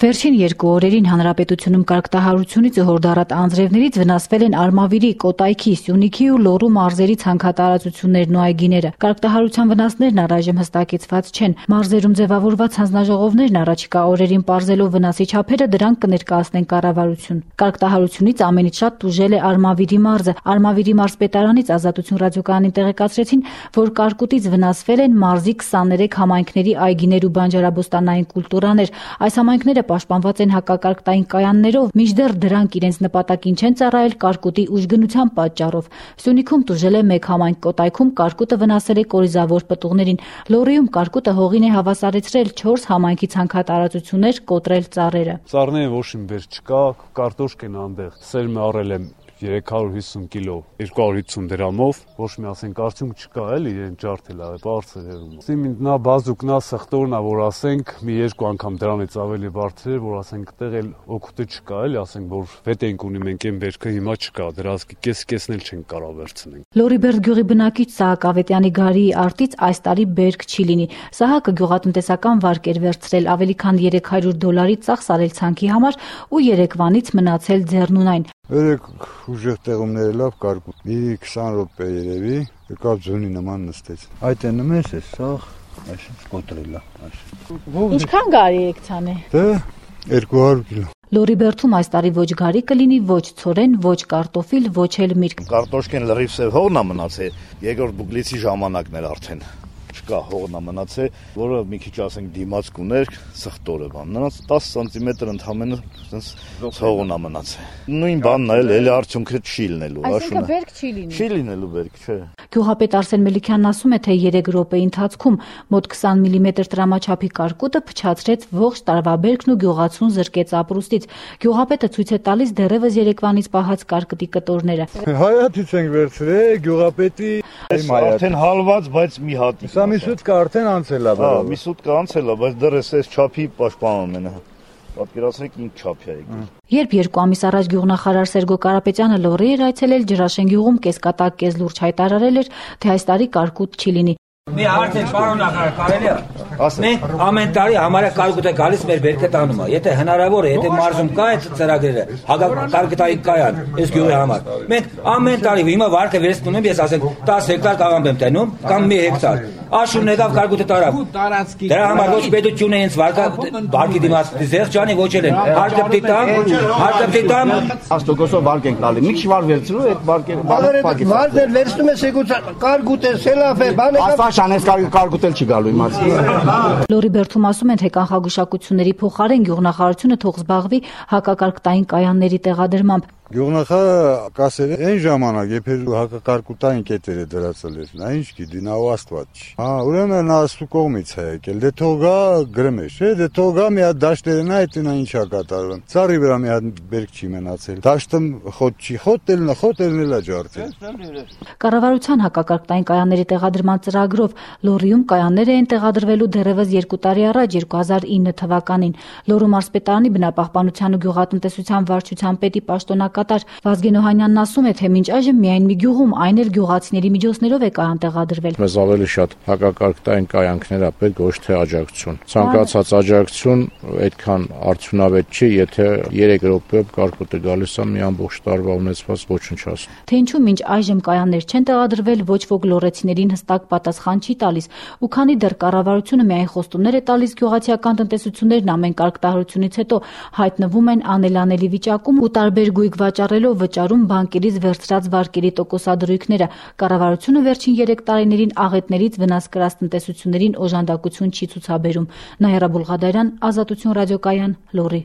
Վերջին 2 օրերին հանրապետությունում կարգտահարությունից ու հորդառատ անձրևներից վնասվել են Արմավիրի, Կոտայքի, Սյունիքի ու Լոռու մարզերի ցանքատարածություններն ու այգիները։ Կարգտահարության վնասներն առայժմ հստակեցված չեն։ Մարզերում ձևավորված հանձնաժողովներն առաջիկա օրերին պարզելով վնասի չափերը դրանք կներկայացնեն կառավարություն։ Կարգտահարությունից ամենից շատ տուժել է Արմավիրի մարզը։ Արմավիրի մարզպետարանից Ազատություն ռադիոկայանին տեղեկացրեցին, որ կարկուտից վնասվել են մարզի 23 համայնքների այգիներ ու բանջարաբոստանային կուլտուրաներ։ Այս համայնքները պաշտպանված են հակակարգտային կայաններով, մինչդեռ դրանք իրենց նպատակին չեն ծառայել կարկուտի ուժգնության պատճառով։ Սյունիքում տուժել է 1 համայնք, Կոտայքում կարկուտը վնասել է կորիզավոր պտուղներին։ Լոռիում կարկուտը հողին է հավասարեցրել 4 համայնքի ցանքատարածություններ, կոտրել ծառերը։ Ծառները ոչ մի բեր չկա, կարտոշկեն անտեղ։ Սերմը առել եմ 350 կիլո 250 դրամով, ոչ մի ասենք արդյունք չկա, էլի իրեն ջարդել է, բարձր է։ Սիմին նա բազուկ, նա սխտորն է, որ ասենք մի 2 անգամ դրանից ավելի բարձր է, որ ասենք այդտեղ էլ օգուտը չկա, էլի ասենք որ վետ ենք ունի մենք այն բերքը հիմա չկա, դրա կեսն էլ չենք կարող վերցնել։ Լոռիբերդ գյուղի բնակիչ Սահակ Ավետյանի Գարիի արտից այս տարի բերք չի լինի։ Սահակը գյուղատնտեսական վարկ էր վերցրել, ավելի քան $300 ծախս արել ցանքի համար ու Երևանից մնացել ձեռնունայն։ Երեք ուժեղ տեղումները լավ կարկուտ, մի 20 րոպե երևի, եկավ ձյունի նման նստեց։ Այդ է նմես է, սաղ, այսինչ կոտրել է, այսինչ։ Ինչքան գարի եք ցանել։ Դե 200 կիլո։ Լոռիբերդում այս տարի ոչ գարի կլինի, ոչ ցորեն, ոչ կարտոֆիլ, ոչ էլ միրգ։ Կարտոշկեն լրիվ սև հողն է մնացել, երկրորդ բուկլիցի ժամանակն էր արդեն։ Չկա հողն է մնացել, որը մի քիչ ասենք դիմաց կուներ, սխտորը բան։ Նրանց 10 սանտիմետր ընդամենը sense հողն է մնացել։ Նույն բանն է, էլի արդյունքը չի լինելու, Այսինքն բերք չի լինի։ Չի լինելու բերք, չէ։ Գյուղապետ Արսեն Մելիքյանն ասում է, թե 3 րոպեի ընթացքում մոտ 20 մմ տրամաչափի կարկուտը փչացրեց ողջ տարվա բերքն ու գյուղացուն զրկեց ապրուստից։ Գյուղապետը ցույց է տալիս դեռևս Երևանից պահած կարկտի կտորները։ Հայաթից ենք վերցրել, գյուղապետի Արդեն հալված, բայց մի հատ։ Սա մի սուտկա արդեն անցել է։ Հա, մի սուտկա անցել է, բայց դեռ էս չափի պաշտպանում են։ Պատկերացրեք ինչ չափ է եկել։ Երբ 2 ամիս առաջ գյուղնախարար Սերգո Կարապետյանը Լոռի էր այցելել, Ջրաշեն գյուղում կեսկատակ կես լուրջ հայտարարել էր, թե այս տարի կարկուտ չի լինի։ Մի հարց է, պարոն նախարար, կարելի է։ Մենք ամեն տարի համարյա կարկուտ է գալիս մեր բերքը տանում է։ Եթե հնարավոր է, եթե մարզում կա այդ ծրագրերը, հակակարկտային կայան, այս գյուղի համար։ Մենք ամեն տարի հիմա վարկը վերցնում եմ, ես ասենք 10 հեկտար կաղամբ եմ տենում, կամ 1 հեկտար։ Աշունն եկավ կարկուտը տարավ։ Դրա համար ոչ պետությունը ինձ վարկի դիմաց զեղ ջանի ոչել են։ Հարկը տամ։ 10%-ով վարկ ենք տալի։ Մի քիչ վար վերցրու, այդ վարկերը բանը վարդեր վերցնում ես եկուց կարկուտ է, սելավ է, բան է։ Այս կարկուտել չի գալու իմացի։ Լոռիբերդում ասում են, թե կանխագուշակությունների փոխարեն գյուղնախարարությունը թող զբաղվի հակակարկտային կայանների տեղադրմամբ։ Գյուղնախարարը կասել է այն ժամանակ, երբ հակակարկուտային կետերը դրացել էր, նա ինչ գիտի, նա ու Աստված չի։ Հա, ուրեմն նա աստու կողմից է եկել, դե թող գա գրմե, չէ, դե թող գա մի հատ դաշտերն է, այդ նա ինչ է կատարվում։ Ծառի վրա մի հատ բերք չի մնացել։ Դաշտը խոտ չի, խոտելն էլ է ջարդել։ Կառավարության հակակարկտային կայանների տեղադրման ծրագրով Լոռիում կայաններ էին տեղադրվելու դեռևս 2 տարի առաջ 2009 թվականին։ Լոռու մարզպետարանի բնապահպանության ու գյուղատնտեսության վարչության պետի պաշտոնակատար Վազգեն Օհանյանն ասում է, թե մինչ այժմ միայն մի գյուղում, այն էլ գյուղացիների միջոցներով է կայան տեղադրվել։ Մեզ ավելի շատ հակակարկտային կայանքներ է պետք, ոչ թե աջակցություն։ Ցանկացած աջակցություն այդքան արդյունավետ չի, եթե 3 րոպեով կարկուտը գալիս է մի ամբողջ տարվա ունեցված ոչնչացնում։ Թե ինչու մինչ այժմ կայաններ չեն տեղադրվել, ոչ ոք լոռեցիներին հստակ պատասխան չի տալիս, ու քանի դեռ կառավարությունը միայն խոստումներ է տալիս, գյուղացիական տնտեսություններն ամեն կարգտահարությունից հետո հայտնվում են անելանելի վիճակում ու տարբեր գույք վաճառելով վճարում բանկերից վերցրած վարկերի տոկոսադրույքները։ Կառավարությունը վերջին 3 տարիներին աղետներից վնաս կրած տնտեսություններին օժանդակություն չի ցուցաբերում։ Նայրա Բուլղադարյան, Ազատություն ռադիոկայան, Լոռի։